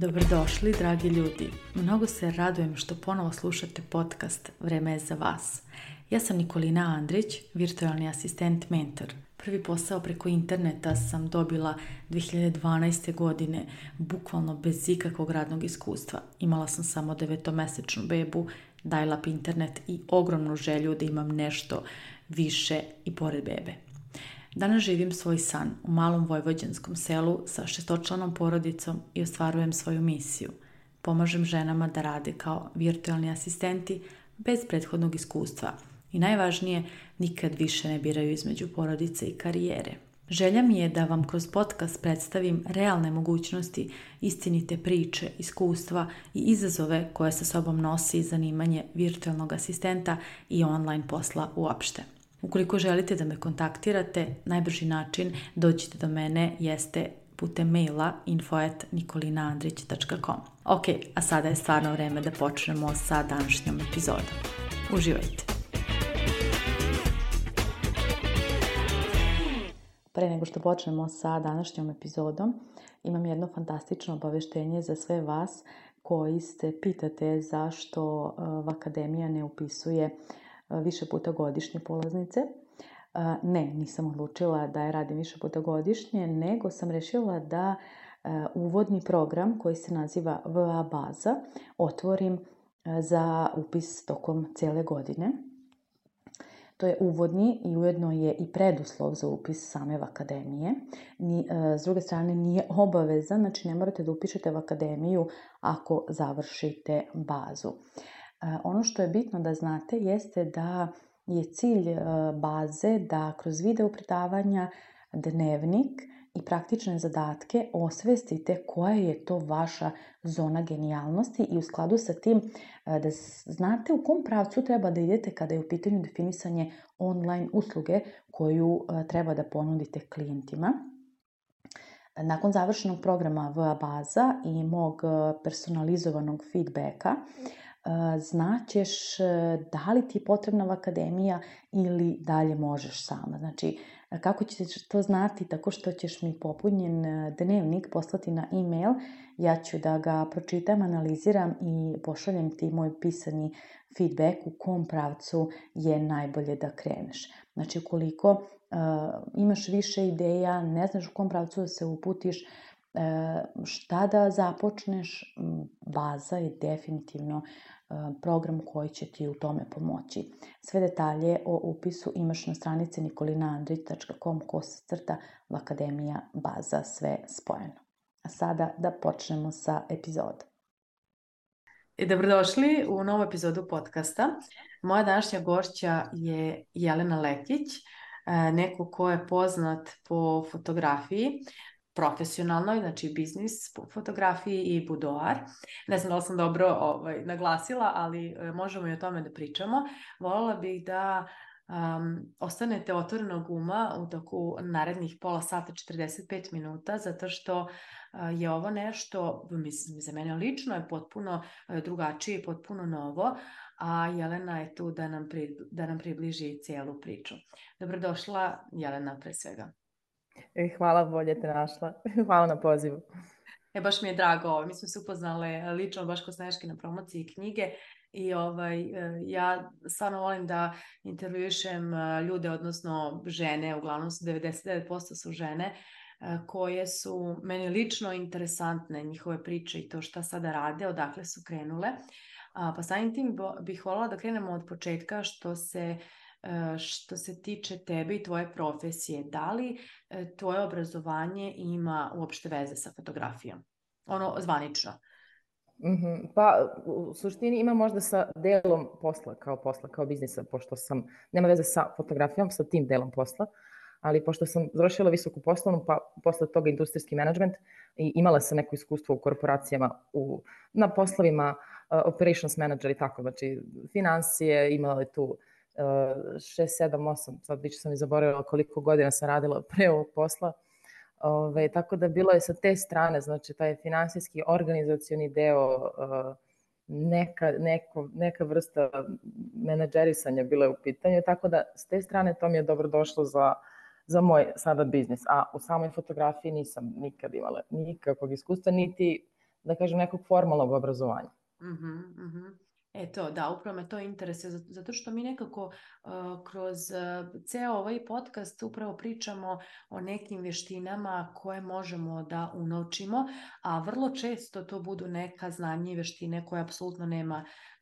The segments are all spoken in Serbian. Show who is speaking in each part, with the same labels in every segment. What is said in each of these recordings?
Speaker 1: Dobrodošli, dragi ljudi. Mnogo se radujem što ponovo slušate podcast Vreme je za vas. Ja sam Nikolina Andrić, virtualni asistent mentor. Prvi posao preko interneta sam dobila 2012. godine, bukvalno bez ikakvog radnog iskustva. Imala sam samo 9-mesečnu bebu, dial-up internet i ogromnu želju da imam nešto više i pored bebe. Danas živim svoj san u malom vojvođanskom selu sa 6-članom porodicom i ostvarujem svoju misiju. Pomažem ženama da rade kao virtualni asistenti bez prethodnog iskustva i najvažnije, nikad više ne biraju između porodice i karijere. Želja mi je da vam kroz podcast predstavim realne mogućnosti, istinite priče, iskustva i izazove koje sa sobom nosi zanimanje virtualnog asistenta i online posla uopšte. Ukoliko želite da me kontaktirate, najbrži način dođite do mene jeste putem maila info@nikolinaandrić.com. Ok, a sada je stvarno vreme da počnemo sa današnjom epizodom. Uživajte! Pre nego što počnemo sa današnjom epizodom, imam jedno fantastično obaveštenje za sve vas koji se pitate zašto Vakademija ne upisuje više puta godišnje polaznice. Ne, nisam odlučila da je radim više puta godišnje, nego sam rešila da uvodni program koji se naziva VA baza otvorim za upis tokom cele godine. To je uvodni i ujedno je i preduslov za upis same Vakademije. S druge strane nije obavezan, znači ne morate da upišete Vakademiju ako završite bazu. Ono što je bitno da znate jeste da je cilj baze da kroz video predavanja, dnevnik i praktične zadatke osvestite koja je to vaša zona genijalnosti i u skladu sa tim da znate u kom pravcu treba da idete kada je u pitanju definisanje online usluge koju treba da ponudite klijentima. Nakon završenog programa VA baza i mog personalizovanog feedbacka, znaćeš da li ti je potrebna Vakademija ili dalje možeš sama. Znači, kako ćeš to znati? Tako što ćeš mi popunjen dnevnik poslati na e-mail, ja ću da ga pročitam, analiziram i pošaljem ti moj pisani feedback u kom pravcu je najbolje da kreneš. Znači, ukoliko imaš više ideja, ne znaš u kom pravcu da se uputiš, šta da započneš, baza je definitivno program koji će ti u tome pomoći. Sve detalje o upisu imaš na stranici nikolinaandrić.com/Vakademija baza, sve spojeno. A sada da počnemo sa epizodom. Dobrodošli u novu epizodu podcasta. Moja današnja gošća je Jelena Lekić, neko ko je poznat po fotografiji, profesionalnoj, znači biznis fotografiji i budoar. Ne znam da li sam dobro naglasila, ali možemo i o tome da pričamo. Voljela bih da ostanete otvorenog uma u toku narednih pola sata, 45 minuta, zato što je ovo nešto, mislim, za mene lično je potpuno drugačije i potpuno novo, a Jelena je tu da nam približi cijelu priču. Dobrodošla, Jelena, pre svega.
Speaker 2: Hvala, bolje te našla. Hvala na pozivu.
Speaker 1: Baš mi je drago, mi smo se upoznale lično baš kod Sneške na promociji knjige i ja stvarno volim da intervjušem ljude, odnosno žene, uglavnom su 99% su žene, koje su meni lično interesantne, njihove priče i to šta sada rade, odakle su krenule. Pa samim tim bih voljela da krenemo od početka što se tiče tebe i tvoje profesije. Da li tvoje obrazovanje ima uopšte veze sa fotografijom? Ono zvanično.
Speaker 2: Pa u suštini ima možda sa delom posla, kao biznisa, pošto nema veze sa fotografijom, sa tim delom posla, ali pošto sam završila visoku poslovnu, pa posle toga industrijski menadžment i imala sam neko iskustvo u korporacijama na poslovima operations manager i tako, znači financije, imala je tu 6, 7, 8, sad više sam i zaboravila koliko godina sam radila pre ovog posla, tako da bilo je sa te strane, znači taj finansijski organizacioni deo, neka vrsta menadžerisanja bila je u pitanju, tako da s te strane to mi je dobro došlo za za moj sada biznis. A u samoj fotografiji nisam nikad imala nikakvog iskustva, niti, da kažem, nekog formalnog obrazovanja.
Speaker 1: Eto, da, upravo me to interesuje, zato što mi nekako kroz ceo ovaj podcast upravo pričamo o nekim vještinama koje možemo da unovčimo, a vrlo često to budu neka znanja i vještine koje apsolutno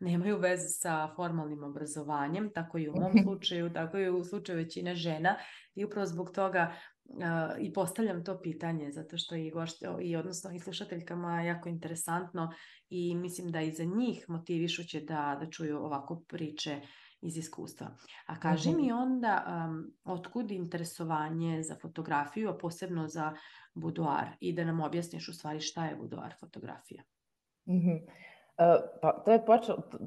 Speaker 1: nemaju veze sa formalnim obrazovanjem, tako i u mom slučaju, tako i u slučaju većine žena, i upravo zbog toga i postavljam to pitanje, zato što odnosno i slušateljkama jako interesantno i mislim da i za njih motivišuće da čuju ovako priče iz iskustva. A kaži mi onda, otkud interesovanje za fotografiju, a posebno za buduar, i da nam objasniš u stvari šta je buduar fotografija.
Speaker 2: Pa to je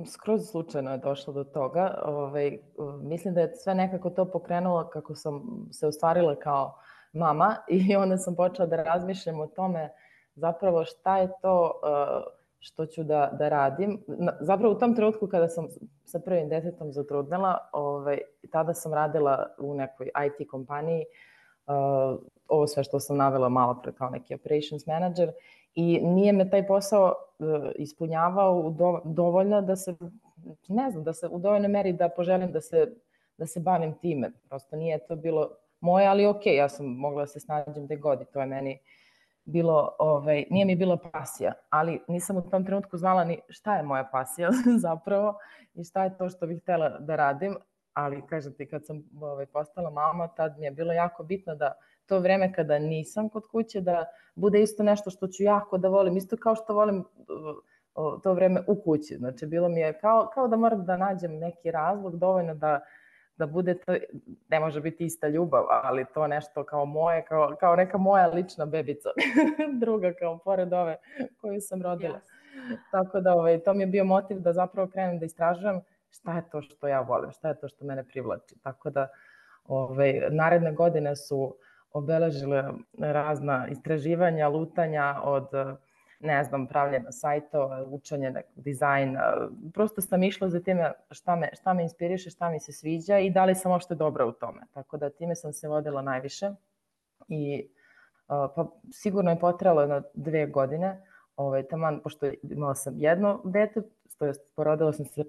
Speaker 2: skroz slučajno je došlo do toga. Mislim da je sve nekako to pokrenulo kako sam se ostvarila kao mama i onda sam počela da razmišljam o tome zapravo šta je to što ću da radim. Zapravo u tom trenutku kada sam sa prvim detetom zatrudnela, tada sam radila u nekoj IT kompaniji, ovo sve što sam navela malo pre kao neki operations manager, i nije me taj posao ispunjavao dovoljno da se, ne znam, da se u dovoljnoj meri da poželim da se bavim time. Prosto nije to bilo moje, ali okej, ja sam mogla da se snađem gde god i to je meni bilo, nije mi bila pasija, ali nisam u tom trenutku znala ni šta je moja pasija zapravo i šta je to što bih htela da radim, ali kažem ti, kad sam postala mama, tad mi je bilo jako bitno da to vreme kada nisam kod kuće, da bude isto nešto što ću jako da volim, isto kao što volim to vreme u kući. Znači, bilo mi je kao da moram da nađem neki razlog dovoljno da bude to, ne može biti ista ljubav, ali to nešto kao moje, kao neka moja lična bebica, druga kao pored ove koju sam rodila. Tako da to mi je bio motiv da zapravo krenem da istražujem šta je to što ja volim, šta je to što mene privlači. Tako da naredne godine su obeležile razna istraživanja, lutanja od, ne znam, pravljenja sajtova, učenja dizajna. Prosto sam išla za time šta me inspiriše, šta mi se sviđa i da li sam uopšte dobra u tome. Tako da time sam se vodila najviše i pa sigurno je potrajalo jedno 2 godine, taman, pošto imala sam jedno dete, to jest porodila sam se sa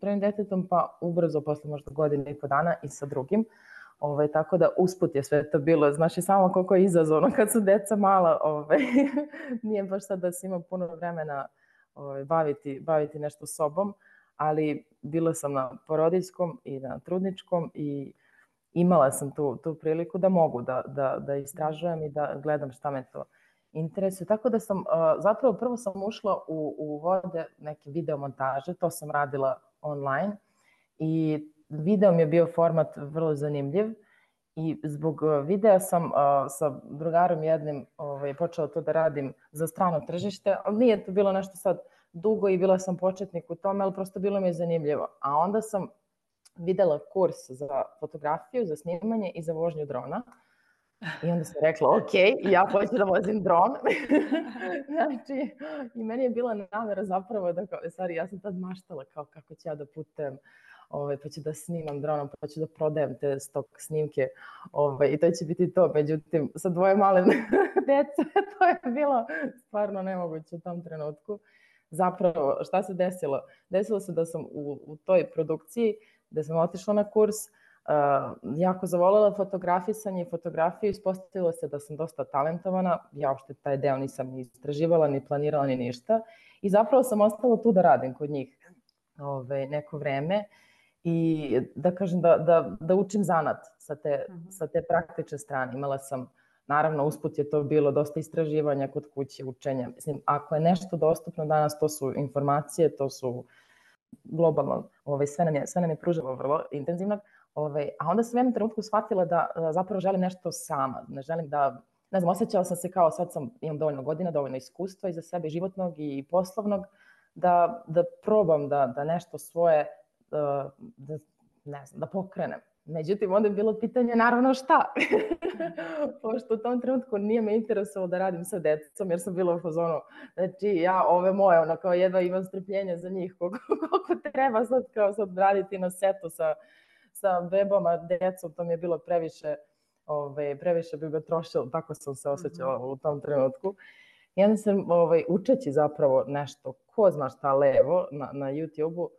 Speaker 2: prvim detetom, pa ubrzo posle možda 1.5 godine i sa drugim. Tako da usput je sve to bilo, znaš i samo koliko je izazovno kad su deca mala, nije baš sad da se ima puno vremena baviti nešto sobom, ali bila sam na porodiljskom i na trudničkom i imala sam tu priliku da mogu da istražujem i da gledam šta me to interesuje. Tako da sam, zapravo prvo sam ušla u vode neke video montaže, to sam radila online i video mi je bio format vrlo zanimljiv i zbog videa sam sa drugarom jednim počela to da radim za strano tržište, ali nije to bilo nešto sad dugo i bila sam početnik u tome, ali prosto bilo mi je zanimljivo. A onda sam videla kurs za fotografiju, za snimanje i za vožnju drona. I onda sam rekla, ok, ja hoću da vozim dron. Znači, i meni je bila namera zapravo da, stvari, ja sam tad maštala kao kako ću ja da putujem, pa ću da snimam dronom, pa ću da prodajem te stok snimke i to će biti to. Međutim, sa 2 male dece, to je bilo stvarno nemoguće u tom trenutku. Zapravo, šta se desilo? Desilo se da sam u toj produkciji, gde sam otišla na kurs, jako zavoljela fotografisanje i fotografiju, ispostavilo se da sam dosta talentovana, ja uopšte taj deo nisam ni istraživala, ni planirala, ni ništa i zapravo sam ostala tu da radim kod njih neko vreme i da kažem da učim zanat sa te praktične strane. Imala sam, naravno usput je to bilo dosta istraživanja kod kuće, učenja. Mislim, ako je nešto dostupno danas, to su informacije, to su globalno, sve nam je pružilo vrlo intenzivno. A onda sam u jednom trenutku shvatila da zapravo želim nešto sama. Ne želim da, ne znam, osjećala sam se kao sad imam dovoljno godina, dovoljno iskustva iza sebe životnog i poslovnog, da probam da nešto svoje, ne znam, da pokrenem. Međutim, onda je bilo pitanje naravno šta. Pošto u tom trenutku nije me interesovalo da radim sa decom, jer sam bila u fazonu, znači ja ove moje, kao jedva imam strpljenja za njih, koliko treba sad raditi na setu sa bebama, decom, to mi je bilo previše previše bi ga trošilo, tako sam se osjećala u tom trenutku. I onda sam učeći zapravo nešto, ko zna šta levo na YouTube-u,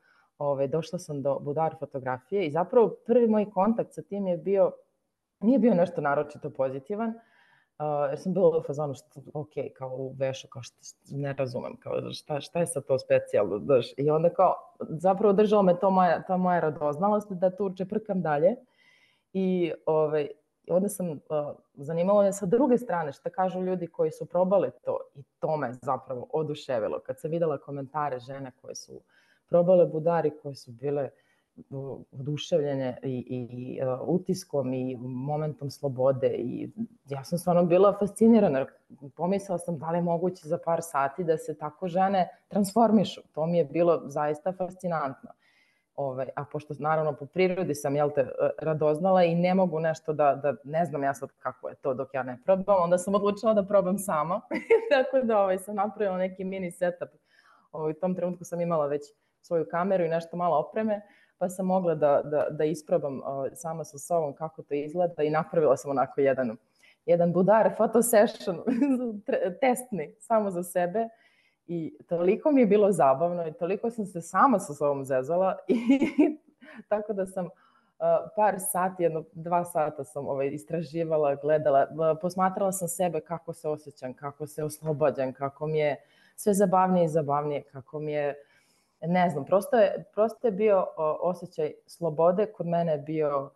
Speaker 2: došla sam do budar fotografije i zapravo prvi moj kontakt sa tim nije bio nešto naročito pozitivan, jer sam bila u fazonu, ok, kao u vešu, kao ne razumem, kao šta je sad to specijalno, daš? I onda kao, zapravo držala me ta moja radoznalost da tu čeprkam dalje i onda sam zanimalo me sa druge strane šta kažu ljudi koji su probali to i to me zapravo oduševilo. Kad sam videla komentare žene koje su probale budari, koje su bile oduševljene i utiskom i momentom slobode i ja sam stvarno bila fascinirana. Pomislila sam da li je moguće za par sati da se tako žene transformišu. To mi je bilo zaista fascinantno. A pošto naravno po prirodi sam radoznala i ne mogu nešto da ne znam ja sad kako je to dok ja ne probam, onda sam odlučila da probam sama. Tako da sam napravila neki mini setup. U tom trenutku sam imala već svoju kameru i nešto malo opreme, pa sam mogla da isprobam sama sa sobom kako to izgleda i napravila sam onako jedan budar photo session testni samo za sebe. I toliko mi je bilo zabavno i toliko sam se sama sa sobom zezala i tako da sam par sati, 2 sata sam istraživala, gledala, posmatrala sam sebe kako se osjećam, kako se oslobađam, kako mi je sve zabavnije i zabavnije, kako mi je, ne znam, prosto je bio osjećaj slobode, kod mene je bio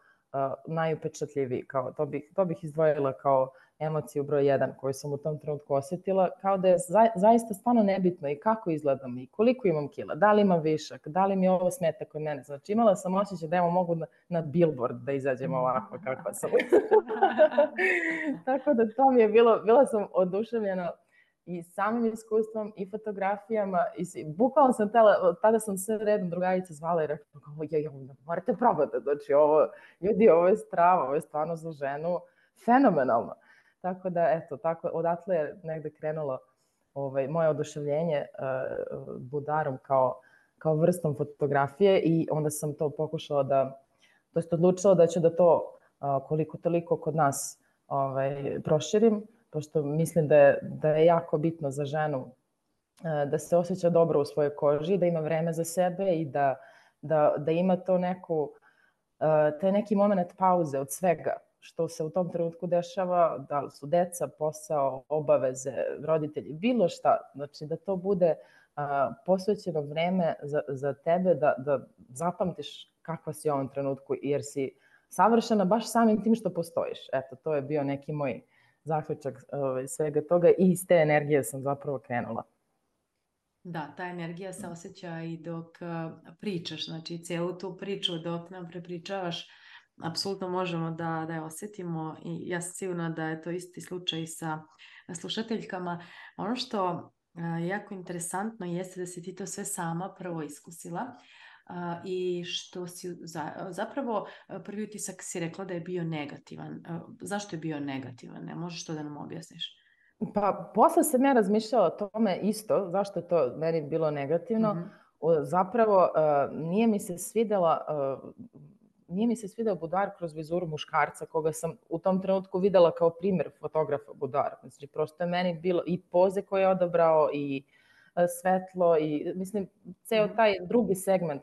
Speaker 2: najupečatljiviji, kao to bih izdvojila kao emociju broj 1 koju sam u tom trenutku osjetila, kao da je zaista stvarno nebitno i kako izgledam i koliko imam kila, da li imam višak, da li mi ovo smeta kod mene. Znači imala sam osjećaj da mogu na billboard da izađem ovako kakva sam. Tako da to mi je bila sam oduševljena i samim iskustvom i fotografijama i bukvalno sam tada sam sve redom drugarice zvala i rekla, morate probati, znači ovo je strava, ovo je stvarno za ženu fenomenalno. Tako da, eto, odatle je negde krenulo moje oduševljenje budarom kao vrstom fotografije i onda sam to pokušala odlučila da ću da to koliko toliko kod nas proširim, pošto mislim da je jako bitno za ženu da se osjeća dobro u svojoj koži, da ima vreme za sebe i da ima taj neki moment pauze od svega što se u tom trenutku dešava, da li su deca, posao, obaveze, roditelji, bilo šta. Znači da to bude posvećeno vreme za tebe, da zapamtiš kakva si u ovom trenutku, jer si savršena baš samim tim što postojiš. Eto, to je bio neki moj zaključak svega toga i iz te energije sam zapravo krenula.
Speaker 1: Da, ta energija se osjeća i dok pričaš, znači celu tu priču dok nam prepričavaš, apsolutno možemo da je osjetimo i ja sam sigurna da je to isti slučaj sa slušateljkama. Ono što je jako interesantno jeste da si ti to sve sama prvo iskusila i što si zapravo prvi utisak si rekla da je bio negativan. Zašto je bio negativan? Ne možeš to da nam objasniš?
Speaker 2: Pa posle sam ja razmišljala o tome isto, zašto je to meni bilo negativno. Zapravo nije mi se svideo budar kroz vizuru muškarca koga sam u tom trenutku videla kao primjer fotografa budara. Znači, prosto je meni bilo i poze koje je odabrao i svetlo i mislim, ceo taj drugi segment,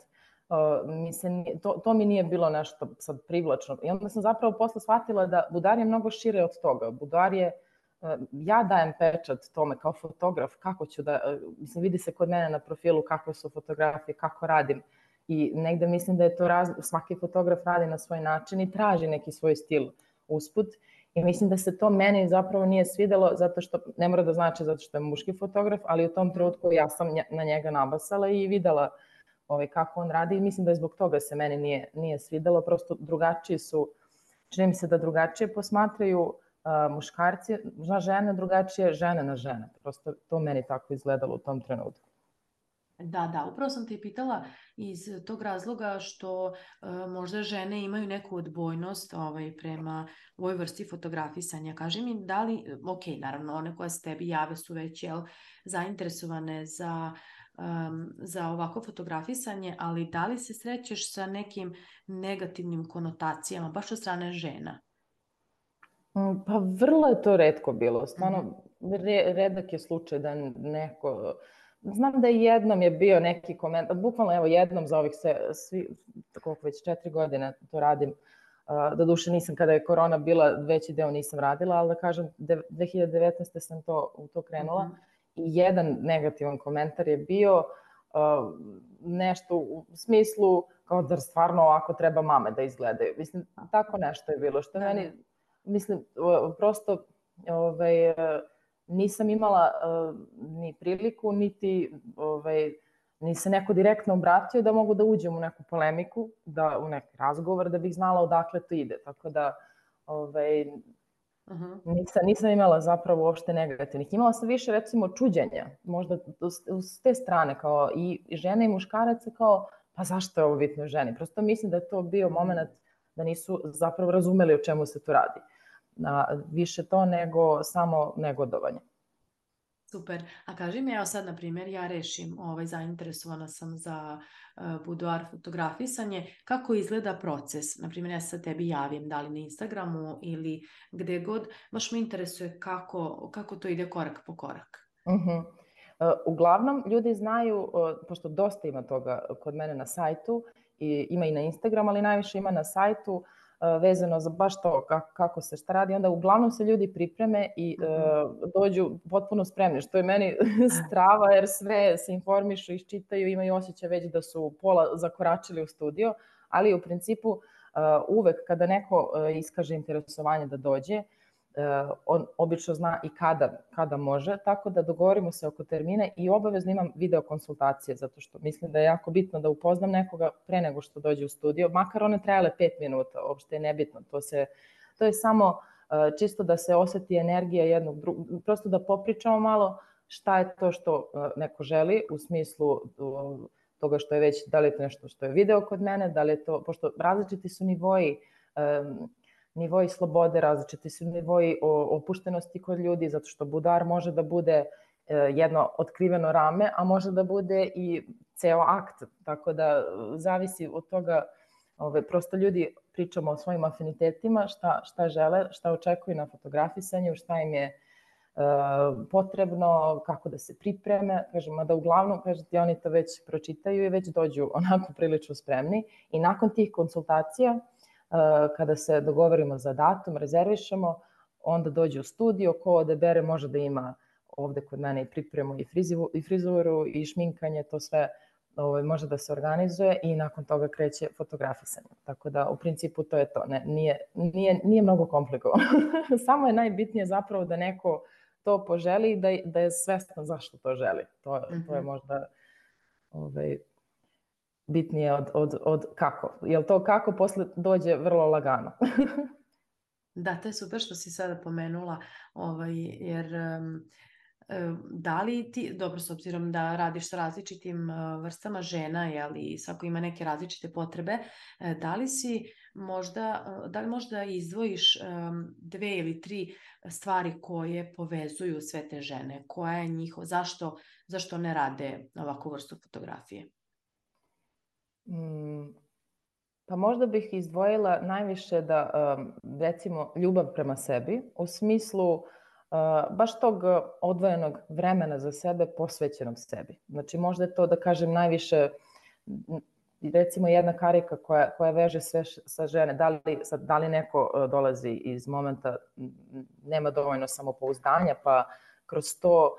Speaker 2: to mi nije bilo nešto sad privlačno. I onda sam zapravo posle shvatila da budar je mnogo šire od toga. Budar je, ja dajem pečat tome kao fotograf, kako ću mislim, vidi se kod mene na profilu kakve su fotografije, kako radim. I negde mislim da je to svaki fotograf radi na svoj način i traži neki svoj stil usput. I mislim da se to meni zapravo nije svidelo, zato što, ne mora da znači zato što je muški fotograf, ali u tom trenutku ja sam na njega nabasala i videla kako on radi i mislim da je zbog toga se meni nije svidelo. Prosto drugačiji su, čini mi se da drugačije posmatraju muškarci na žene, drugačije žene na žene. Prosto to meni tako izgledalo u tom trenutku.
Speaker 1: Da, upravo sam te i pitala iz tog razloga što možda žene imaju neku odbojnost prema ovoj vrsti fotografisanja. Kaži mi da li, ok, naravno one koje se tebi jave su već zainteresovane za ovako fotografisanje, ali da li se srećeš sa nekim negativnim konotacijama baš od strane žena?
Speaker 2: Pa vrlo je to retko bilo, stvarno
Speaker 1: Mhm.
Speaker 2: redak je slučaj da neko... Znam da jednom je bio neki komentar, bukvalno evo jednom za ovih koliko već 4 godine to radim, doduše nisam kada je korona bila, veći deo nisam radila, ali da kažem 2019. sam u to krenula
Speaker 1: Mhm.
Speaker 2: i jedan negativan komentar je bio nešto u smislu kao da stvarno ovako treba mame da izgledaju. Mislim, tako nešto je bilo, što
Speaker 1: Da,
Speaker 2: meni,
Speaker 1: da.
Speaker 2: mislim, prosto nisam imala ni priliku, ni se neko direktno obratio da mogu da uđem u neku polemiku, u neki razgovor, da bih znala odakle to ide. Tako da
Speaker 1: Mhm.
Speaker 2: nisam imala zapravo uopšte negativnih. Imala sam više, recimo, čuđenja, možda s te strane, kao i žene i muškaraca, kao, pa zašto je ovo bitno ženi? Prosto mislim da je to bio moment da nisu zapravo razumeli o čemu se tu radi. Više to nego samo negodovanje.
Speaker 1: Super. A kaži mi, evo sad, na primjer, ja rešim, zainteresovana sam za buduar fotografisanje. Kako izgleda proces? Na primjer, ja se tebi javim, da li na Instagramu ili gde god. Baš me interesuje kako to ide korak po korak.
Speaker 2: Uglavnom, ljudi znaju, pošto dosta ima toga kod mene na sajtu, ima i na Instagram, ali najviše ima na sajtu, vezano za baš to kako se šta radi, onda uglavnom se ljudi pripreme i dođu potpuno spremni, što je meni strava, jer sve se informišu, iščitaju, imaju osjećaj već da su pola zakoračili u studio, ali u principu uvek kada neko iskaže interesovanje da dođe, on obično zna i kada može, tako da dogovorimo se oko termina i obavezno imam video konsultacije, zato što mislim da je jako bitno da upoznam nekoga pre nego što dođe u studio, makar one trajale 5 minuta, uopšte je nebitno, to je samo čisto da se oseti energija jednog drugog, prosto da popričamo malo šta je to što neko želi, u smislu toga što je već, da li je to nešto što je video kod mene, da li je to, pošto različiti su nivoji slobode, različiti su nivoji opuštenosti kod ljudi, zato što budar može da bude jedno otkriveno rame, a može da bude i ceo akt, tako da zavisi od toga, prosto ljudi pričamo o svojim afinitetima, šta žele, šta očekuju na fotografisanju, šta im je potrebno, kako da se pripreme, kažem, da uglavnom, kažete, oni to već pročitaju i već dođu onako prilično spremni i nakon tih konsultacija, kada se dogovorimo za datum, rezervišemo, onda dođe u studio, ko odebere može da ima ovde kod mene i pripremu i frizuru i šminkanje, to sve može da se organizuje i nakon toga kreće fotografisanje. Tako da u principu to je to, nije mnogo komplikovano. Samo je najbitnije zapravo da neko to poželi i da je svestan zašto to želi. To je možda bitnije od kako. Jer to kako posle dođe vrlo lagano.
Speaker 1: Da, to je super što si sada pomenula, jer da li ti, dobro, s obzirom da radiš sa različitim vrstama žena, i svako ima neke različite potrebe, da li možda izdvojiš 2 ili 3 stvari koje povezuju sve te žene? Koja je zašto ne rade ovakvu vrstu fotografije?
Speaker 2: Pa možda bih izdvojila najviše da, recimo, ljubav prema sebi, u smislu baš tog odvojenog vremena za sebe, posvećenog sebi. Znači, možda je to, da kažem, najviše, recimo, jedna karika koja veže sve sa žene, da li neko dolazi iz momenta, nema dovoljno samopouzdanja, pa kroz to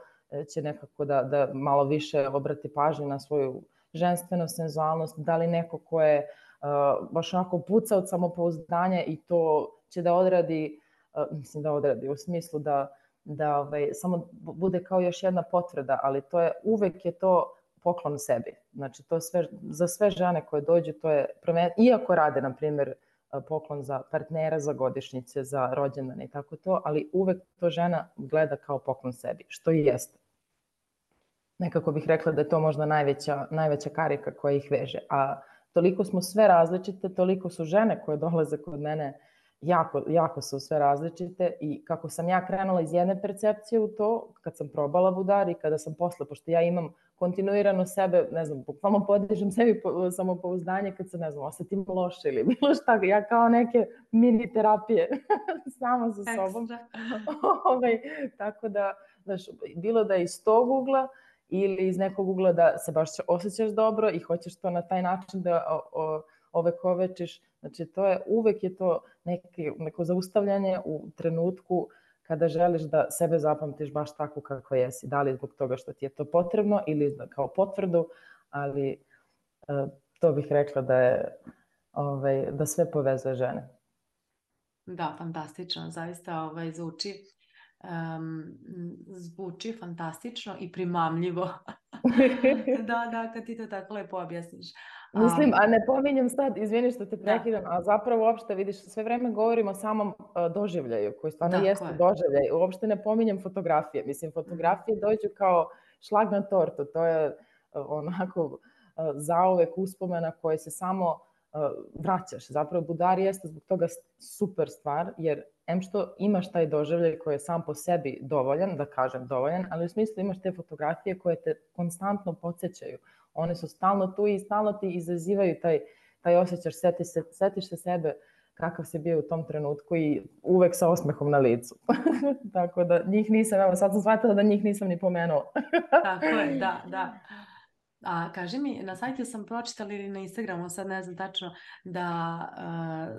Speaker 2: će nekako da malo više obrati pažnju na svoju ženstvenu senzualnost, da li neko ko je baš onako puca od samopouzdanja i to će da odradi, u smislu da samo bude kao još jedna potvrda, ali uvek je to poklon sebi. Znači, za sve žene koje dođu, to je, iako rade, na primjer, poklon za partnera, za godišnjice, za rođendane i tako to, ali uvek to žena gleda kao poklon sebi, što i jeste. Nekako bih rekla da je to možda najveća karika koja ih veže. A toliko smo sve različite, toliko su žene koje dolaze kod mene jako su sve različite i kako sam ja krenula iz jedne percepcije u to, kad sam probala budar i kada sam posle, pošto ja imam kontinuirano sebe, ne znam, bukvalno podižem sebi samopouzdanje kad se, ne znam, osetim loše ili bilo šta, ja kao neke mini terapije sama sa sobom. Tako da, znaš, bilo da je iz tog ugla ili iz nekog ugla da se baš osjećaš dobro i hoćeš to na taj način da ovekovečiš. Znači, uvek je to neko zaustavljanje u trenutku kada želiš da sebe zapamtiš baš tako kako jesi. Da li zbog toga što ti je to potrebno ili kao potvrdu, ali to bih rekla da sve povezuje žene.
Speaker 1: Da, fantastično. Zaista zvuči fantastično i primamljivo. Da, kad ti to tako lepo objasniš.
Speaker 2: Mislim, a ne pominjem sad, izvini što te prekidam, a zapravo uopšte, vidiš, sve vreme govorimo o samom doživljaju, koji stvarno jeste doživljaj. Uopšte ne pominjem fotografije. Mislim, fotografije dođu kao šlag na tortu. To je onako zauvek uspomena koje se samo vraćaš. Zapravo, budar jeste zbog toga super stvar, jer em što imaš taj doživljaj koji je sam po sebi dovoljan, da kažem dovoljan, ali u smislu imaš te fotografije koje te konstantno podsjećaju. One su stalno tu i stalno ti izazivaju taj osjećaj, setiš se sebe kakav si bio u tom trenutku i uvek sa osmehom na licu. Tako da njih nisam, evo sad sam shvatila da njih nisam ni pomenula.
Speaker 1: Tako je, da. A kaži mi, na sajtu sam pročitala ili na Instagramu, sad ne znam tačno, da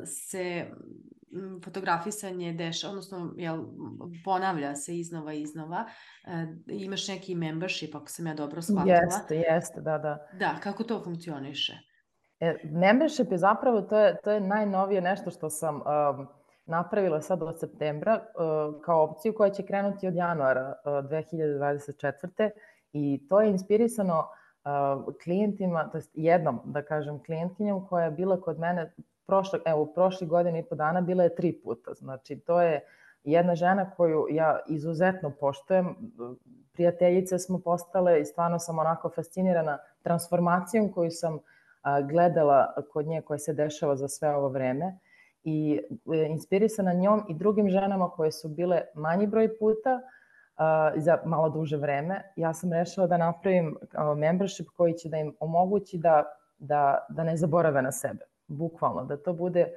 Speaker 1: se fotografisanje dešava, odnosno ponavlja se iznova. Imaš neki membership, ako sam ja dobro shvatila.
Speaker 2: Jeste, da.
Speaker 1: Da, kako to funkcioniše?
Speaker 2: Membership je zapravo, to je najnovije nešto što sam napravila sad od septembra kao opciju koja će krenuti od januara 2024. I to je inspirisano klijentima, to jest jednom, da kažem, klijentkinjom koja je bila kod mene prošle godine i po dana, bila je 3 puta. Znači, to je jedna žena koju ja izuzetno poštujem, prijateljice smo postale i stvarno sam onako fascinirana transformacijom koju sam gledala kod nje koja se dešava za sve ovo vreme i inspirisana njom i drugim ženama koje su bile manji broj puta za malo duže vreme. Ja sam rešila da napravim membership koji će da im omogući da ne zaborave na sebe. Bukvalno, da to bude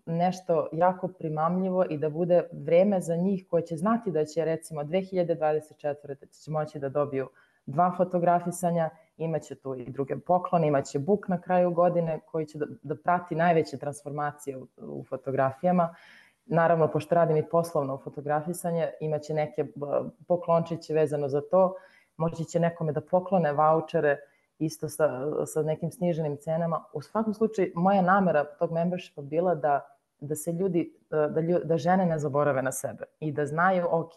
Speaker 2: nešto jako primamljivo i da bude vreme za njih koje će znati da će recimo 2024. će moći da dobiju 2 fotografisanja, imaće tu i druge poklone, imaće book na kraju godine koji će da prati najveće transformacije u fotografijama. Naravno, pošto radim i poslovno fotografisanje, imaće neke poklončiće vezano za to, moći će nekome da poklone vaučere isto sa nekim sniženim cenama. U svakom slučaju, moja namera tog membershipa bila da se da žene ne zaborave na sebe i da znaju, ok,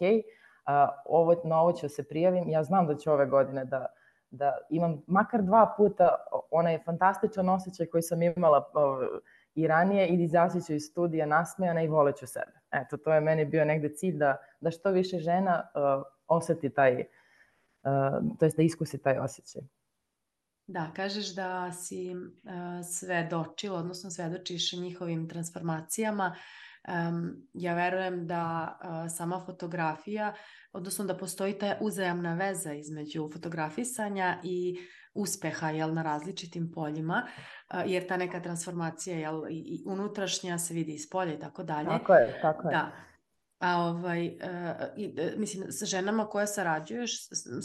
Speaker 2: na ovo ću se prijavim, ja znam da ću ove godine da imam makar 2 puta onaj fantastičan osjećaj koji sam imala i ranije i izaći ću iz studija nasmejana i voleću sebe. Eto, to je meni bio negde cilj da što više žena oseti to jest da iskusi taj osjećaj.
Speaker 1: Da, kažeš da si svedočila, odnosno svedočiš njihovim transformacijama. Ja verujem da sama fotografija, odnosno da postoji ta uzajamna veza između fotografisanja i uspeha na različitim poljima, jer ta neka transformacija i unutrašnja se vidi iz polja i tako dalje.
Speaker 2: Tako je.
Speaker 1: Da. Mislim, sa ženama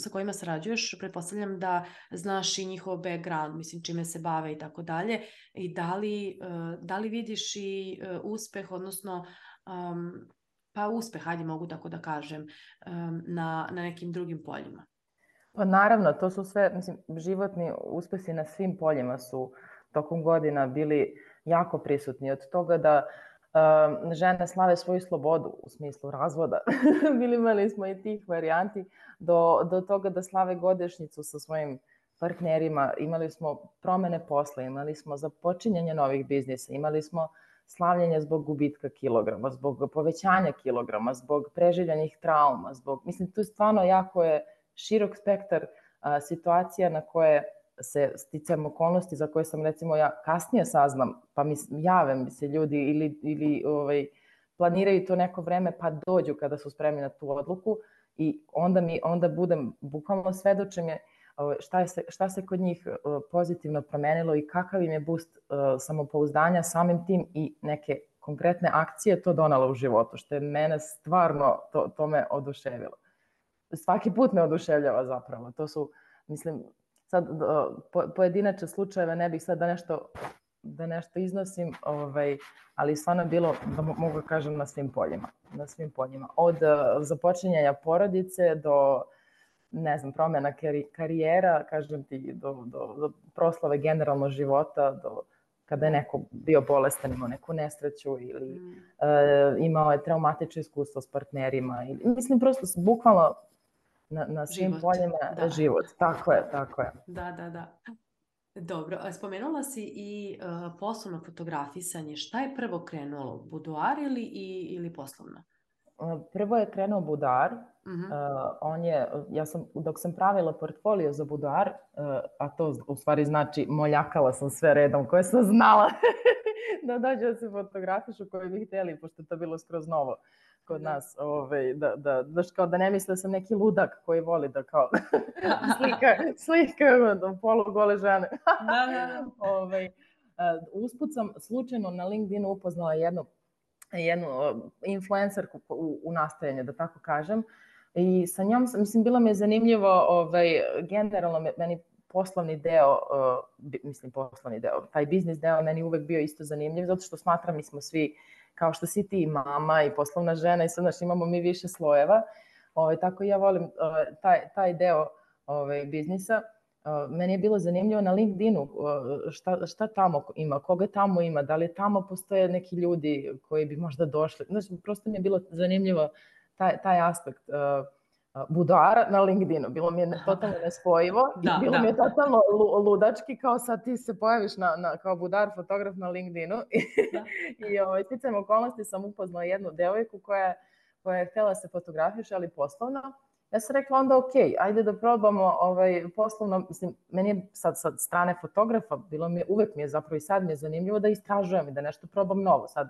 Speaker 1: sa kojima sarađuješ, pretpostavljam da znaš i njihov background, mislim, čime se bave i tako dalje. I da li vidiš i uspeh, odnosno uspeh, hajde mogu tako da kažem, na nekim drugim poljima?
Speaker 2: Pa naravno, to su sve, mislim, životni uspesi na svim poljima su tokom godina bili jako prisutni. Od toga da žene slave svoju slobodu u smislu razvoda. Imali smo i tih varijanti do toga da slave godišnjicu sa svojim partnerima. Imali smo promene posla, imali smo započinjanje novih biznisa, imali smo slavljenje zbog gubitka kilograma, zbog povećanja kilograma, zbog preživljenih trauma, mislim, tu stvarno jako je širok spektar situacija na koje se sticajem okolnosti za koje sam recimo ja kasnije saznam, pa jave mi se ljudi ili planiraju to neko vreme pa dođu kada su spremni na tu odluku i onda budem bukvalno svedočenje šta se kod njih pozitivno promenilo i kakav im je boost samopouzdanja samim tim i neke konkretne akcije to donalo u životu, što je mene stvarno, to me oduševilo. Svaki put me oduševljava zapravo. To su, mislim, sad pojedinačne slučajeve ne bih sad da nešto iznosim, ali stvarno je bilo, da mogu kažem, na svim poljima. Od započinjanja porodice do, ne znam, promjena karijera, kažem ti, do proslave generalno života, do kada je neko bio bolestan, imao neku nesreću ili imao je traumatično iskustvo s partnerima. Mislim, prosto bukvalno na svim poljima život. Tako je.
Speaker 1: Da. Dobro, spomenula si i poslovno fotografisanje. Šta je prvo krenulo? Buduar ili poslovno?
Speaker 2: Prvo je krenuo Buduar. Dok sam pravila portfolio za Buduar, a to u stvari znači moljakala sam sve redom koje sam znala da dođe da se fotografišu koji bi htjeli, pošto je to bilo skroz novo kod nas, da ne misle da sam neki ludak koji voli da kao slika polugole žene. Usput sam slučajno na LinkedInu upoznala jednu influencerku u nastajanje, da tako kažem, i sa njom, mislim, bilo mi je zanimljivo, generalno meni poslovni deo, taj biznis deo meni uvek bio isto zanimljiv, zato što smatram, mi smo svi, kao što si ti mama i poslovna žena i sad, znači, imamo mi više slojeva, tako i ja volim taj deo biznisa. Meni je bilo zanimljivo na LinkedInu šta tamo ima, koga tamo ima, da li tamo postoje neki ljudi koji bi možda došli. Znači, prosto mi je bilo zanimljivo taj aspekt buduara na LinkedInu. Bilo mi je totalno nespojivo i bilo mi je totalno ludački, kao sad ti se pojaviš kao budar fotograf na LinkedInu. I sticajem okolnosti sam upoznala jednu devojku koja je htjela se fotografiše, ali poslovno. Ja sam rekla onda ok, ajde da probamo poslovno, mislim, meni je sad strane fotografa, uvek mi je zapravo i sad mi je zanimljivo da istražujem i da nešto probam novo. Sad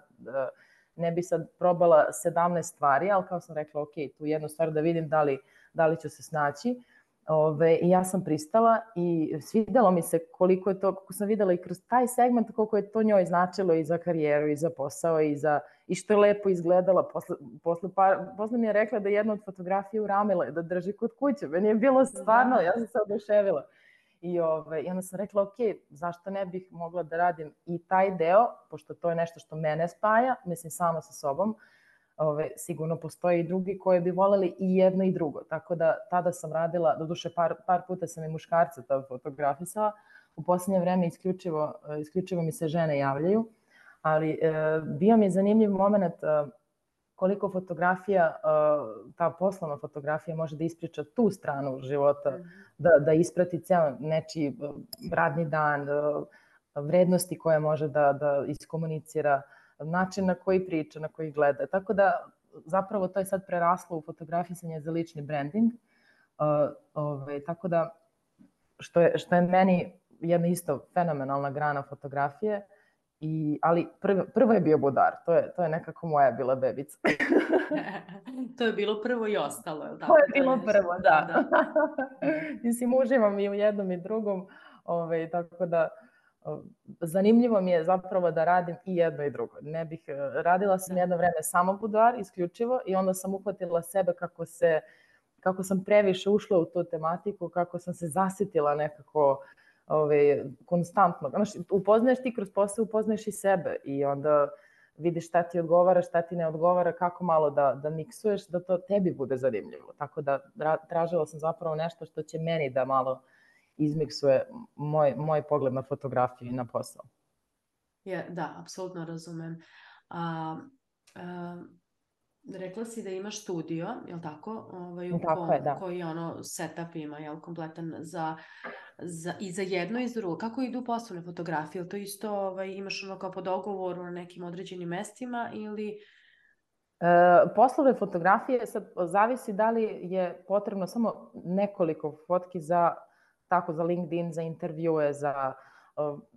Speaker 2: ne bi sad probala 17 stvari, ali kao sam rekla ok, tu jednu stvar da vidim da li ću se snaći. I ja sam pristala i svidjelo mi se koliko je to, kako sam vidjela i kroz taj segment, koliko je to njoj značilo i za karijeru i za posao i što je lepo izgledala. Posle mi je rekla da je jedna od fotografija uramila da drži kod kuće. Meni je bilo stvarno, ja sam se oduševila. I onda sam rekla ok, zašto ne bih mogla da radim i taj deo, pošto to je nešto što mene spaja, mislim sama sa sobom. Sigurno postoje i drugi koji bi voljeli i jedno i drugo. Tako da tada sam radila, doduše par puta sam i muškarca tada fotografisala. U posljednje vreme isključivo mi se žene javljaju, ali bio mi je zanimljiv moment koliko fotografija, ta poslovna fotografija može da ispriča tu stranu života, da isprati ceo nečiji radni dan, vrednosti koje može da iskomunicira, način na koji priča, na koji gleda. Tako da zapravo to je sad preraslo u fotografisanje za lični branding. Tako da što je meni jedna isto fenomenalna grana fotografije, ali prvo je bio budar. To je nekako moja bila bebica.
Speaker 1: To je bilo prvo i ostalo, je li tako?
Speaker 2: To je bilo prvo, da. Mislim, uživam i u jednom i drugom, tako da zanimljivo mi je zapravo da radim i jedno i drugo. Radila sam jedno vreme samo buduar, isključivo, i onda sam uhvatila sebe kako sam previše ušla u tu tematiku, kako sam se zasitila nekako konstantno. Upoznaješ ti kroz posao, upoznaješ i sebe i onda vidiš šta ti odgovara, šta ti ne odgovara, kako malo da miksuješ, da to tebi bude zanimljivo. Tako da tražila sam zapravo nešto što će meni da malo izmiksuje moj pogled na fotografiju i na posao.
Speaker 1: Da, apsolutno razumem. Rekla si da imaš studio, je li tako?
Speaker 2: Tako je, da.
Speaker 1: Koji setup ima, je li kompletan i za jedno i za drugo. Kako idu poslovne fotografije? Ili to isto imaš kao po dogovoru na nekim određenim mestima ili...
Speaker 2: Poslovne fotografije sad zavisi da li je potrebno samo nekoliko fotki za tako za LinkedIn, za intervjue, za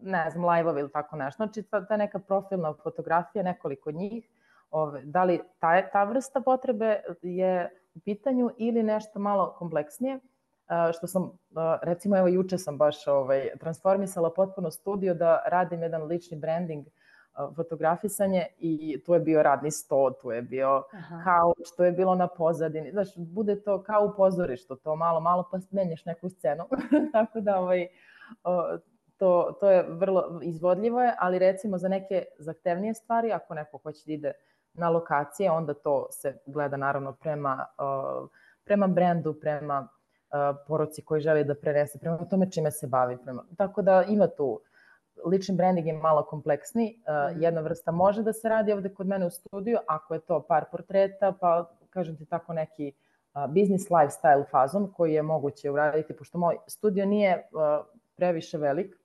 Speaker 2: ne znam, live-ove ili tako nešto. Znači, ta neka profilna fotografija, nekoliko njih, da li ta vrsta potrebe je u pitanju ili nešto malo kompleksnije, što sam, recimo, evo juče sam baš transformisala potpuno studio da radim jedan lični branding, fotografisanje, i tu je bio radni sto, tu je bio kauč, tu je bilo na pozadini, znaš, bude to kao u pozorištu, to malo pa menjaš neku scenu, tako da to je vrlo izvodljivo je, ali recimo za neke zahtevnije stvari, ako neko hoće da ide na lokacije, onda to se gleda naravno prema brendu, prema poruci koji želi da prenese, prema tome čime se bavi. Tako da ima tu, lični branding je malo kompleksni, jedna vrsta može da se radi ovde kod mene u studiju, ako je to par portreta, pa kažem ti tako neki business lifestyle fazon koji je moguće uraditi, pošto moj studio nije previše velik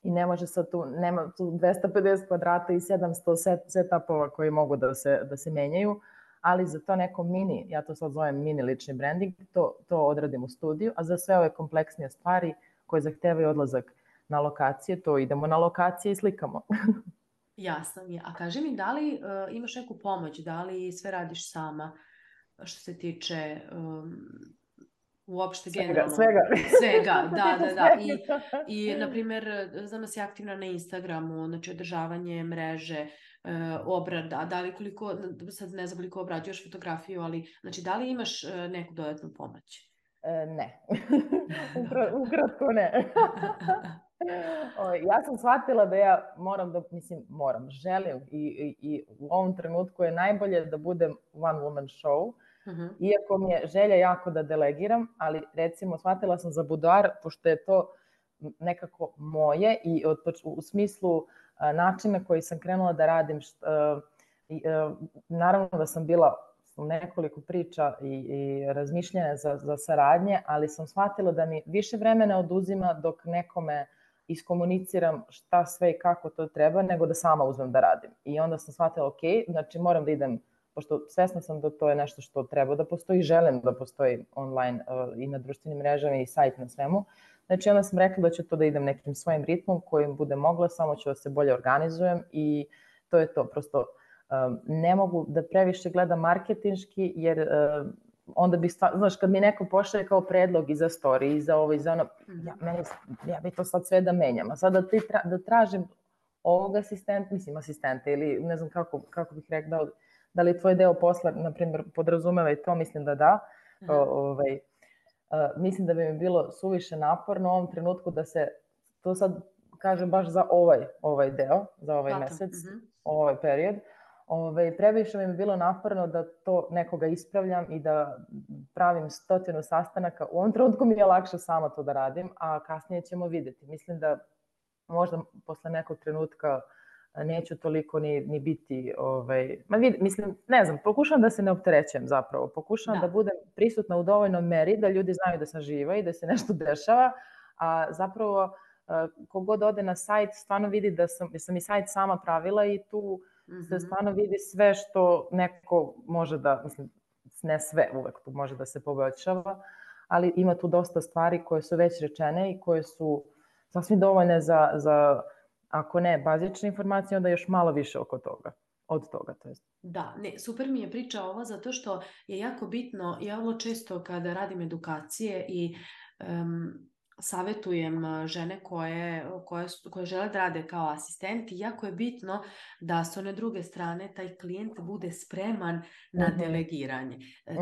Speaker 2: i ne može sad tu, nema tu 250 kvadrata i 700 setupova koji mogu da se menjaju, ali za to neko mini, ja to sad zovem mini lični branding, to odradim u studiju, a za sve ove kompleksnije stvari koje zahtevaju odlazak na lokacije, to idemo na lokacije i slikamo.
Speaker 1: Jasno mi je. A kaži mi, da li imaš neku pomoć, da li sve radiš sama što se tiče uopšte generalno? Svega, da. I, na primjer, znam da si aktivna na Instagramu, znači održavanje mreže, obrada, da li koliko, sad ne znam koliko obrađuješ fotografiju, ali znači da li imaš neku dodatnu pomoć?
Speaker 2: Ne. Ukratko ne. Ja sam shvatila da ja želim i u ovom trenutku je najbolje da budem one woman show, iako mi je želja jako da delegiram, ali recimo shvatila sam za buduar, pošto je to nekako moje i u smislu načina koji sam krenula da radim, naravno da sam bila nekoliko priča i razmišljanja za saradnje, ali sam shvatila da mi više vremena oduzima dok nekome iskomuniciram šta sve i kako to treba, nego da sama uzmem da radim. I onda sam shvatila, ok, znači moram da idem, pošto svesna sam da to je nešto što treba da postoji, želim da postoji online i na društvenim mrežama i sajt na svemu. Znači onda sam rekla da ću to da idem nekim svojim ritmom kojim bude mogla, samo ću da se bolje organizujem i to je to. Prosto ne mogu da previše gledam marketinški, jer onda bi, znaš, kad mi neko pošalje kao predlog i za story, i za ovo, i za ono, ja bi to sad sve da menjam. A sad da tražim ovog asistenta ili ne znam kako bih rekla, da li tvoj deo posla, na primjer, podrazumeva i to, mislim da. Mislim da bi mi bilo suviše naporno u ovom trenutku da se, to sad kažem baš za ovaj deo, za ovaj mesec, ovaj period, previše mi je bilo naporno da to nekoga ispravljam i da pravim 100 sastanaka. U ovom trenutku mi je lakše sama to da radim, a kasnije ćemo videti. Mislim da možda posle nekog trenutka neću toliko ni biti, mislim, ne znam, pokušavam da se ne opterećujem zapravo, pokušavam da budem prisutna u dovoljnoj meri, da ljudi znaju da sam živa i da se nešto dešava, a zapravo kogod ode na sajt stvarno vidi da sam i sajt sama pravila i tu se stvarno vidi sve što neko može da, mislim, ne sve uvek tu može da se poboljšava, ali ima tu dosta stvari koje su već rečene i koje su sasvim dovoljne za ako ne bazične informacije, onda još malo više od toga. To jest.
Speaker 1: Da, ne, super mi je priča ova zato što je jako bitno, ja vrlo često kada radim edukacije i savjetujem žene koje žele da rade kao asistenti, jako je bitno da s one druge strane taj klijent bude spreman na delegiranje.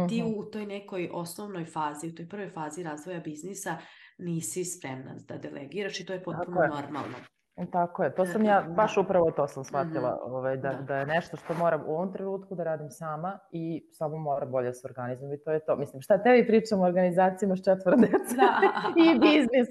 Speaker 1: Ti u toj nekoj osnovnoj fazi, u toj prvoj fazi razvoja biznisa nisi spremna da delegiraš i to je potpuno normalno.
Speaker 2: Tako je, to sam ja, baš upravo to sam shvatila, da je nešto što moram u ovom trenutku da radim sama i samo moram bolje se organizujem i to je to. Mislim, šta tebi pričam o organizacijama s 4 dece i biznis.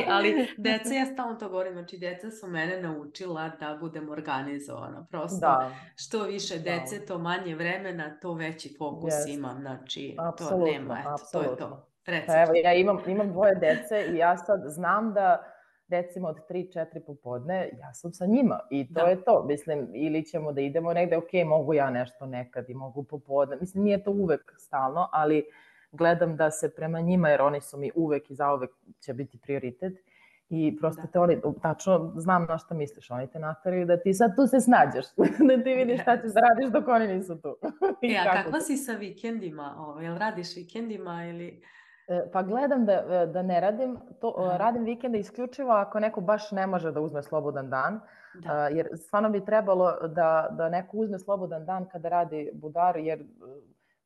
Speaker 1: Ali deca, ja stalno to govorim, znači deca su mene naučila da budem organizovana. Prosto što više dece, to manje vremena, to veći fokus imam. Znači, to nema, eto, to je to.
Speaker 2: Evo, ja imam 2 dece i ja sad znam da recimo od 3-4 popodne, ja sam sa njima i to je to, mislim, ili ćemo da idemo negde, ok, mogu ja nešto nekad i mogu popodne, mislim, nije to uvek stalno, ali gledam da se prema njima, jer oni su mi uvek i zauvek će biti prioritet. I prosto te oni, tačno znam na šta misliš, oni te nateraju da ti sad tu se snađeš, da ti vidiš šta ćeš da radiš dok oni nisu tu.
Speaker 1: A kakva si sa vikendima? Jel radiš vikendima ili...
Speaker 2: Pa gledam da ne radim, radim vikende isključivo ako neko baš ne može da uzme slobodan dan, jer stvarno bi trebalo da neko uzme slobodan dan kada radi budar, jer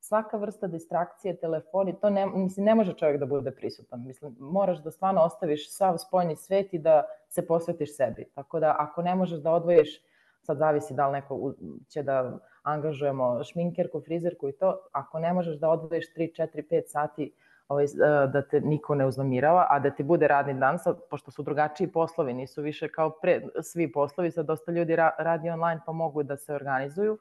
Speaker 2: svaka vrsta distrakcije, telefoni, to ne može čovjek da bude prisutan. Mislim, moraš da stvarno ostaviš sav spoljni svet i da se posvetiš sebi. Tako da ako ne možeš da odvojiš, sad zavisi da li neko će da angažujemo šminkerku, frizerku i to, ako ne možeš da odvojiš 3, 4, 5 sati da te niko ne uznemirava, a da ti bude radni dan, sad, pošto su drugačiji poslovi, nisu više kao svi poslovi, sad dosta ljudi radi online pa mogu da se organizuju,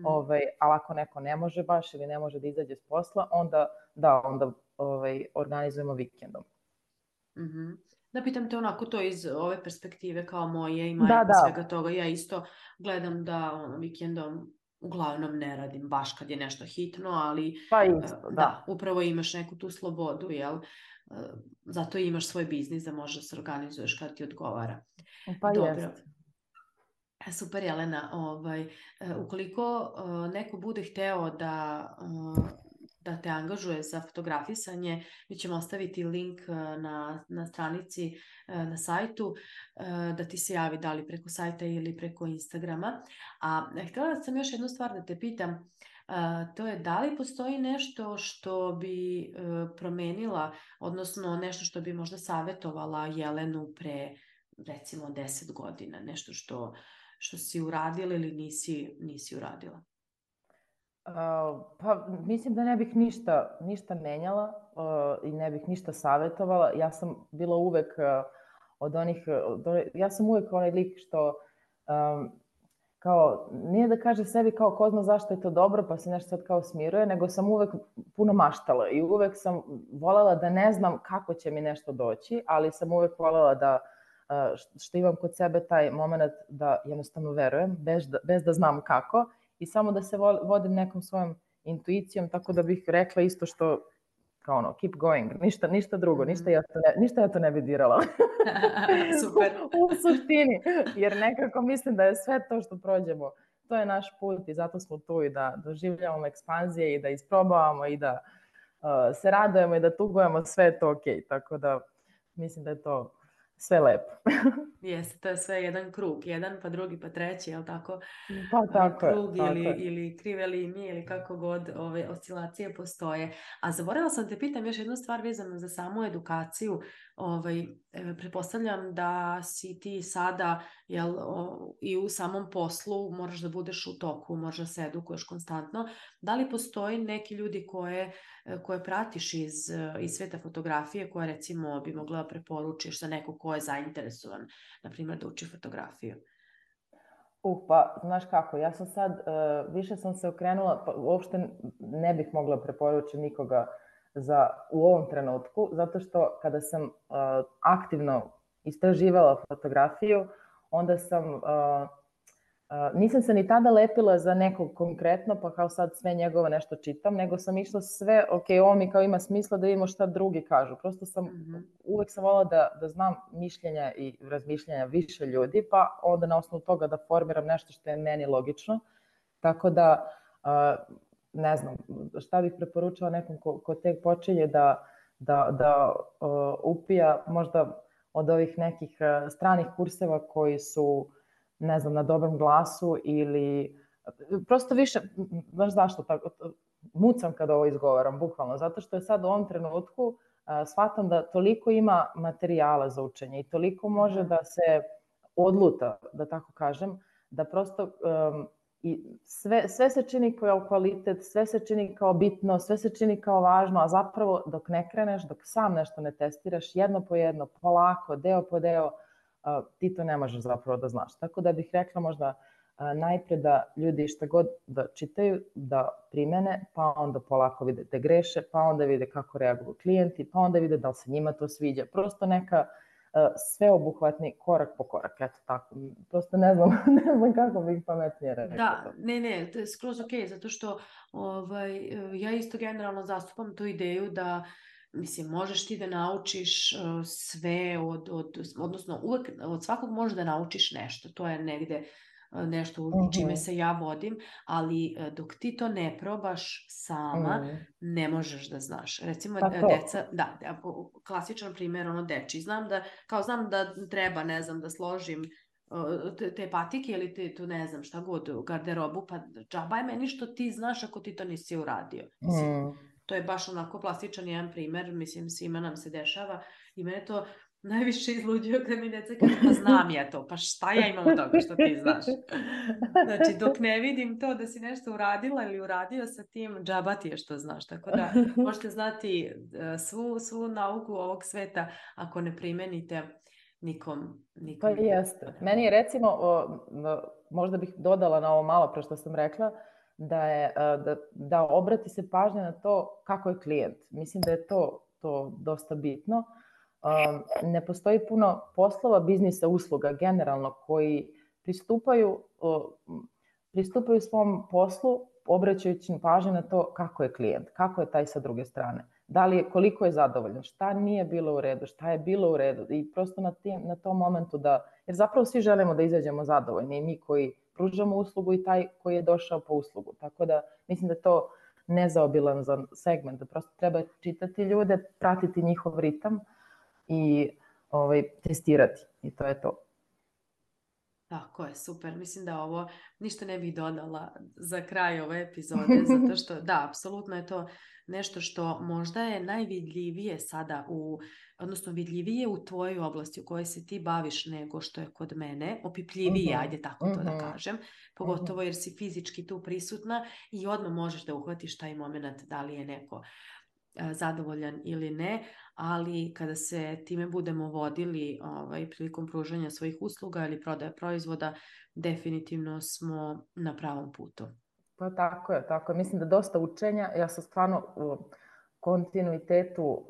Speaker 2: ali ako neko ne može baš ili ne može da izađe s posla, onda organizujemo vikendom.
Speaker 1: Da pitam te onako to iz ove perspektive kao moje i majka svega toga, ja isto gledam da vikendom uglavnom ne radim baš kad je nešto hitno, ali
Speaker 2: pa isto,
Speaker 1: da, upravo imaš neku tu slobodu, jel? Zato imaš svoj biznis da možeš da se organizuješ kad ti odgovara.
Speaker 2: Pa
Speaker 1: dobro. Super, Jelena. Ukoliko neko bude hteo da te angažuje za fotografisanje, mi ćemo ostaviti link na stranici, na sajtu, da ti se javi da li preko sajta ili preko Instagrama. A htjela sam još jednu stvar da te pitam, to je da li postoji nešto što bi promenila, odnosno nešto što bi možda savjetovala Jelenu pre recimo 10 godina, nešto što si uradila ili nisi uradila?
Speaker 2: Pa mislim da ne bih ništa menjala i ne bih ništa savjetovala. Ja sam bila uvek ja sam uvek onaj lik što kao, nije da kaže sebi kao ko zna zašto je to dobro pa se nešto sad kao smiruje, nego sam uvek puno maštala i uvek sam voljela da ne znam kako će mi nešto doći, ali sam uvek voljela da što imam kod sebe taj moment da jednostavno verujem, bez da znam kako i samo da se vodim nekom svojom intuicijom, tako da bih rekla isto što kao ono, keep going, ništa drugo, ništa ja to ne bi dirala.
Speaker 1: Super.
Speaker 2: U suštini, jer nekako mislim da je sve to što prođemo, to je naš put i zato smo tu i da doživljavamo ekspanzije i da isprobavamo i da se radujemo i da tugujemo, sve je to okej, tako da mislim da je to sve lepo.
Speaker 1: Jeste, to je sve jedan krug, jedan pa drugi pa treći, jel tako?
Speaker 2: Pa tako je.
Speaker 1: Krug ili krive linije ili kako god ove oscilacije postoje. A zaboravila sam te pitam još jednu stvar vezano za samu edukaciju. Pretpostavljam da si ti sada i u samom poslu moraš da budeš u toku, moraš da se edukuješ konstantno. Da li postoji neki ljudi koje pratiš iz sveta fotografije, koje recimo bi mogla da preporučiš za neko ko je zainteresovan, na primjer da uči fotografiju?
Speaker 2: Pa, znaš kako, ja sam sad, više sam se okrenula, pa uopšte ne bih mogla preporučiti nikoga u ovom trenutku, zato što kada sam aktivno istraživala fotografiju, onda nisam se ni tada lepila za nekog konkretno, pa kao sad sve njegove nešto čitam, nego sam išla sve, ovo mi kao ima smisla da vidimo šta drugi kažu. Prosto uvek sam voljela da znam mišljenja i razmišljenja više ljudi, pa onda na osnovu toga da formiram nešto što je meni logično. Tako da, ne znam, šta bih preporučila nekom ko tek počinje da upija možda od ovih nekih stranih kurseva koji su, ne znam, na dobrom glasu ili prosto više, znaš zašto, mucam kada ovo izgovaram, bukvalno, zato što je sad u ovom trenutku shvatam da toliko ima materijala za učenje i toliko može da se odluta, da tako kažem, da prosto sve se čini kao kvalitet, sve se čini kao bitno, sve se čini kao važno, a zapravo dok ne kreneš, dok sam nešto ne testiraš, jedno po jedno, polako, deo po deo, ti to ne možeš zapravo da znaš. Tako da bih rekla možda najpre da ljudi šta god da čitaju, da primene, pa onda polako vide da greše, pa onda vide kako reaguju klijenti, pa onda vide da li se njima to sviđa. Prosto neka sveobuhvatni korak po korak. Eto tako. Prosto ne znam, ne znam kako bih pametnije rekla to.
Speaker 1: Da, ne, to je skroz ok, zato što ja isto generalno zastupam tu ideju da, mislim, možeš ti da naučiš sve odnosno uvek od svakog možeš da naučiš nešto, to je negde nešto čime se ja vodim, ali dok ti to ne probaš sama, ne možeš da znaš. Recimo, deca, klasičan primjer, dečiji, znam da treba, ne znam, da složim te patike ili tu ne znam šta god, garderobu, pa džaba je meni što ti znaš ako ti to nisi uradio. Mislim, to je baš onako plastičan jedan primer, mislim, svima nam se dešava i mene to najviše izluđuje kad mi deca kaže, pa znam ja to, pa šta ja imam od toga što ti znaš. Znači, dok ne vidim to da si nešto uradila ili uradio sa tim, džaba ti je što znaš. Tako da možete znati svu nauku ovog sveta ako ne primenite nikom.
Speaker 2: Pa jeste. Meni je recimo, možda bih dodala na ovo malo pre što sam rekla, da obrati se pažnja na to kako je klijent. Mislim da je to dosta bitno. Ne postoji puno poslova, biznisa, usluga generalno koji pristupaju svom poslu obraćajući pažnju na to kako je klijent, kako je taj sa druge strane. Koliko je zadovoljan, šta nije bilo u redu, šta je bilo u redu i prosto na tom momentu jer zapravo svi želimo da izađemo zadovoljni i mi koji pružamo uslugu i taj koji je došao po uslugu. Tako da mislim da je to nezaobilan segment, da prosto treba čitati ljude, pratiti njihov ritam i testirati i to je to.
Speaker 1: Tako je, super. Mislim da ovo ništa ne bih dodala za kraj ove epizode, zato što da, apsolutno je to nešto što možda je najvidljivije sada odnosno vidljivije u tvojoj oblasti u kojoj se ti baviš nego što je kod mene, opipljivije, ajde tako to da kažem, pogotovo jer si fizički tu prisutna i odmah možeš da uhvatiš taj moment da li je neko zadovoljan ili ne, ali kada se time budemo vodili prilikom pružanja svojih usluga ili prodaje proizvoda, definitivno smo na pravom putu.
Speaker 2: Pa tako je. Mislim da dosta učenja, ja sam stvarno u kontinuitetu,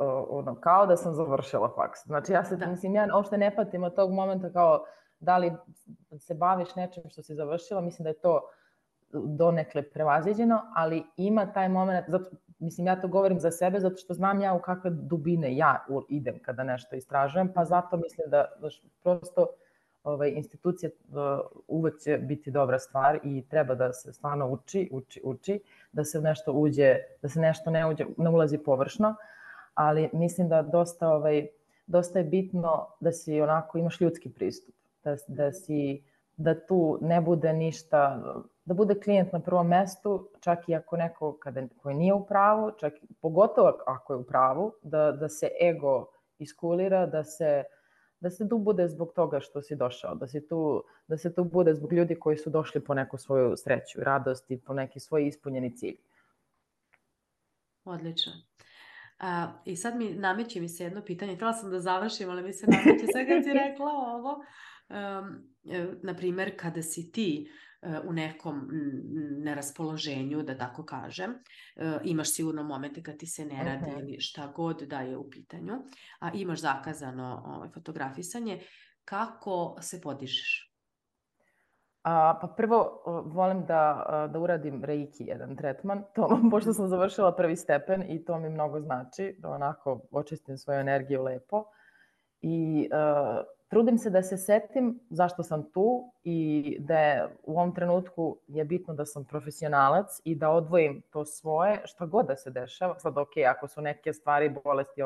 Speaker 2: kao da sam završila faks. Znači ja uopšte ne patim od tog momenta kao da li se baviš nečim što si završila, mislim da je to donekle prevaziđeno, ali ima taj moment, mislim ja to govorim za sebe zato što znam ja u kakve dubine ja idem kada nešto istražujem, pa zato mislim da prosto institucija uvek će biti dobra stvar i treba da se stvarno uči, da se nešto uđe, da se nešto ne ulazi površno, ali mislim da dosta je bitno da si onako imaš ljudski pristup, da tu ne bude ništa, da bude klijent na prvom mestu, čak i ako neko koji nije u pravu, pogotovo ako je u pravu, da se ego iskulira, da se tu bude zbog toga što si došao, da se tu bude zbog ljudi koji su došli po neku svoju sreću i radost i po neki svoj ispunjeni cilj.
Speaker 1: Odlično. I sad nameće mi se jedno pitanje, htjela sam da završim, ali mi se nameće sve kad si rekla ovo. Naprimer, kada si ti u nekom neraspoloženju, da tako kažem, imaš sigurno momente kad ti se ne radi ili šta god da je u pitanju, a imaš zakazano fotografisanje, kako se podižeš?
Speaker 2: Pa prvo volim da uradim reiki jedan tretman, pošto sam završila prvi stepen i to mi mnogo znači, da onako očistim svoju energiju lepo i trudim se da se setim zašto sam tu i da je u ovom trenutku je bitno da sam profesionalac i da odvojim to svoje, šta god da se dešava. Sad ok, ako su neke stvari, bolesti,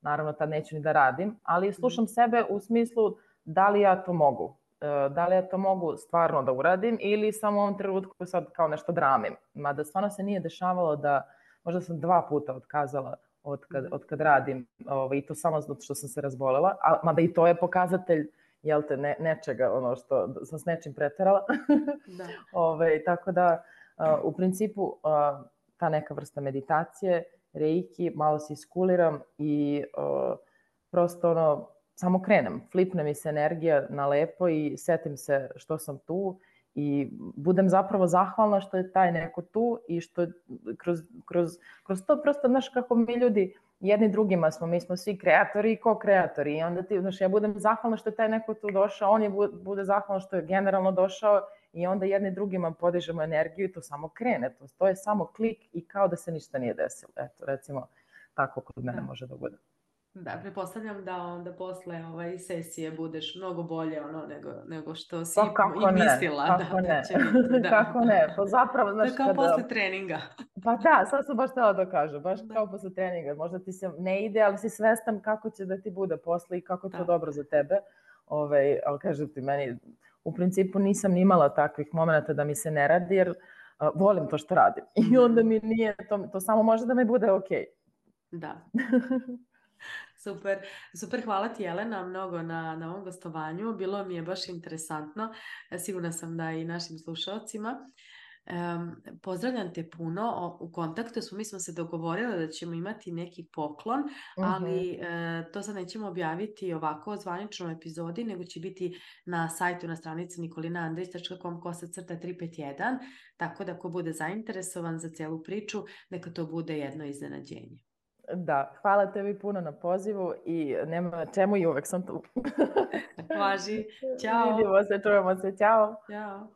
Speaker 2: naravno tad neću ni da radim, ali slušam sebe u smislu da li ja to mogu. Da li ja to mogu stvarno da uradim ili samo u ovom trenutku sad kao nešto dramim. Mada stvarno se nije dešavalo možda sam 2 puta otkazala od kad radim i to samo zato što sam se razbolela, mada i to je pokazatelj nečega, što sam s nečim preterala. Tako da u principu ta neka vrsta meditacije, reiki, malo se iskuliram i prosto samo krenem, flipne mi se energija na lepo i setim se što sam tu i budem zapravo zahvalna što je taj neko tu i što kroz to prosto, znaš kako mi ljudi jedni drugima smo, mi smo svi kreatori i ko-kreatori i onda ti, znaš, ja budem zahvalna što je taj neko tu došao, on je bude zahvalan što je generalno došao i onda jedni drugima podižemo energiju i to samo krene, to je samo klik i kao da se ništa nije desilo. Eto, recimo, tako kod mene može da bude.
Speaker 1: Da, pretpostavljam da onda posle sesije budeš mnogo bolje nego što si
Speaker 2: kako
Speaker 1: i mislila da će biti. Da.
Speaker 2: Kako ne, pa zapravo, znaš,
Speaker 1: to je kao posle treninga.
Speaker 2: Pa da, sad sam baš htjela da kažem, baš kao posle treninga, možda ti se ne ide, ali si svestan kako će da ti bude posle i kako je to dobro za tebe, ali kažem ti, meni u principu nisam ni imala takvih momenta da mi se ne radi, jer volim to što radim i onda mi nije, to samo može da mi bude okej.
Speaker 1: Da. Super, hvala ti Jelena mnogo na ovom gostovanju, bilo mi je baš interesantno, sigurna sam da i našim slušalcima. Pozdravljam te puno, u kontaktu smo, mi smo se dogovorili da ćemo imati neki poklon, ali to sad nećemo objaviti ovako o zvaničnom epizodi, nego će biti na sajtu, na stranici nikolinaandrić.com/351, tako da ko bude zainteresovan za celu priču, neka to bude jedno iznenađenje.
Speaker 2: Da, hvala tebi puno na pozivu i nema na čemu i uvek sam tu.
Speaker 1: Važi, ćao.
Speaker 2: Vidimo se, čujemo se, ćao.
Speaker 1: Ćao.